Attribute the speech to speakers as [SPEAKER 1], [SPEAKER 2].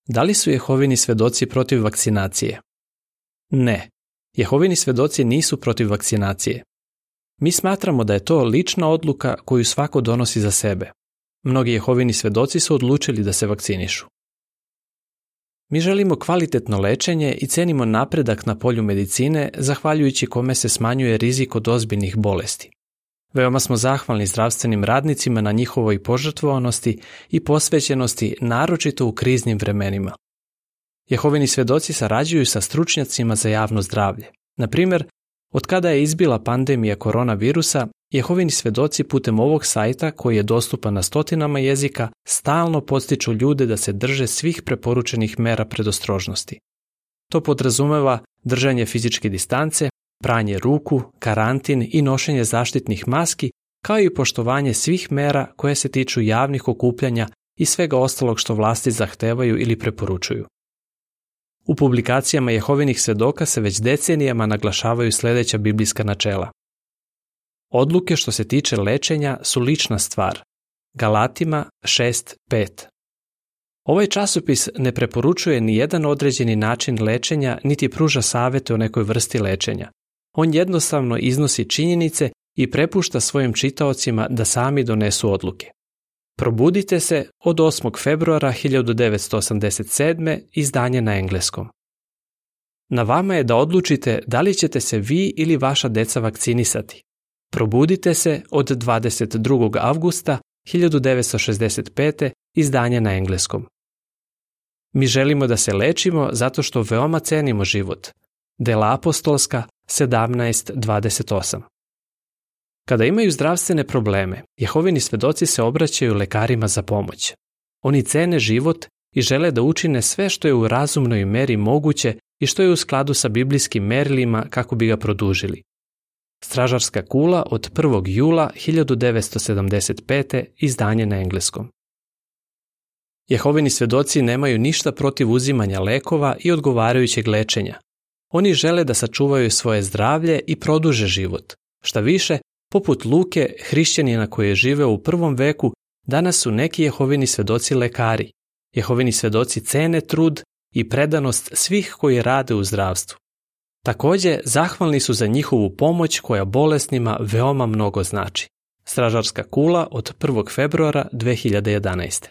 [SPEAKER 1] Da li su Jehovini svjedoci protiv vakcinacije? Ne. Jehovini svjedoci nisu protiv vakcinacije. Mi smatramo da je to lična odluka koju svako donosi za sebe. Mnogi Jehovini svjedoci su odlučili da se vakcinišu. Mi želimo kvalitetno lečenje i cenimo napredak na polju medicine, zahvaljujući kome se smanjuje rizik od ozbiljnih bolesti. Veoma smo zahvalni zdravstvenim radnicima na njihovoj požrtvovanosti i posvećenosti, naročito u kriznim vremenima. Jehovini svjedoci sarađuju sa stručnjacima za javno zdravlje. Na primjer, od kada je izbila pandemija koronavirusa, Jehovini svjedoci putem ovog sajta, koji je dostupan na stotinama jezika, stalno podstiču ljude da se drže svih preporučenih mera predostrožnosti. To podrazumeva držanje fizičke distance, pranje ruku, karantin i nošenje zaštitnih maski, kao i poštovanje svih mera koje se tiču javnih okupljanja i svega ostalog što vlasti zahtevaju ili preporučuju. U publikacijama Jehovinih svjedoka se već decenijama naglašavaju sljedeća biblijska načela. Odluke što se tiče lečenja su lična stvar. Galatima 6:5. Ovaj časopis ne preporučuje ni jedan određeni način lečenja niti pruža savjete o nekoj vrsti lečenja. On jednostavno iznosi činjenice i prepušta svojim čitaocima da sami donesu odluke. Probudite se od 8. februara 1987. izdanje na engleskom. Na vama je da odlučite da li ćete se vi ili vaša deca vakcinisati. Probudite se od 22. avgusta 1965. izdanje na engleskom. Mi želimo da se lečimo zato što veoma cenimo život. Dela apostolska 17:28. Kada imaju zdravstvene probleme, Jehovini svjedoci se obraćaju lekarima za pomoć. Oni cene život i žele da učine sve što je u razumnoj meri moguće i što je u skladu sa biblijskim merilima kako bi ga produžili. Stražarska kula od 1. jula 1975. izdanje na engleskom. Jehovini svjedoci nemaju ništa protiv uzimanja lekova i odgovarajućeg lečenja. Oni žele da sačuvaju svoje zdravlje i produže život. Šta više, poput Luke, hrišćanina koji je živeo u prvom veku, danas su neki Jehovini svjedoci lekari. Jehovini svjedoci cene trud i predanost svih koji rade u zdravstvu. Također, zahvalni su za njihovu pomoć koja bolesnima veoma mnogo znači. Stražarska kula od 1. februara 2011.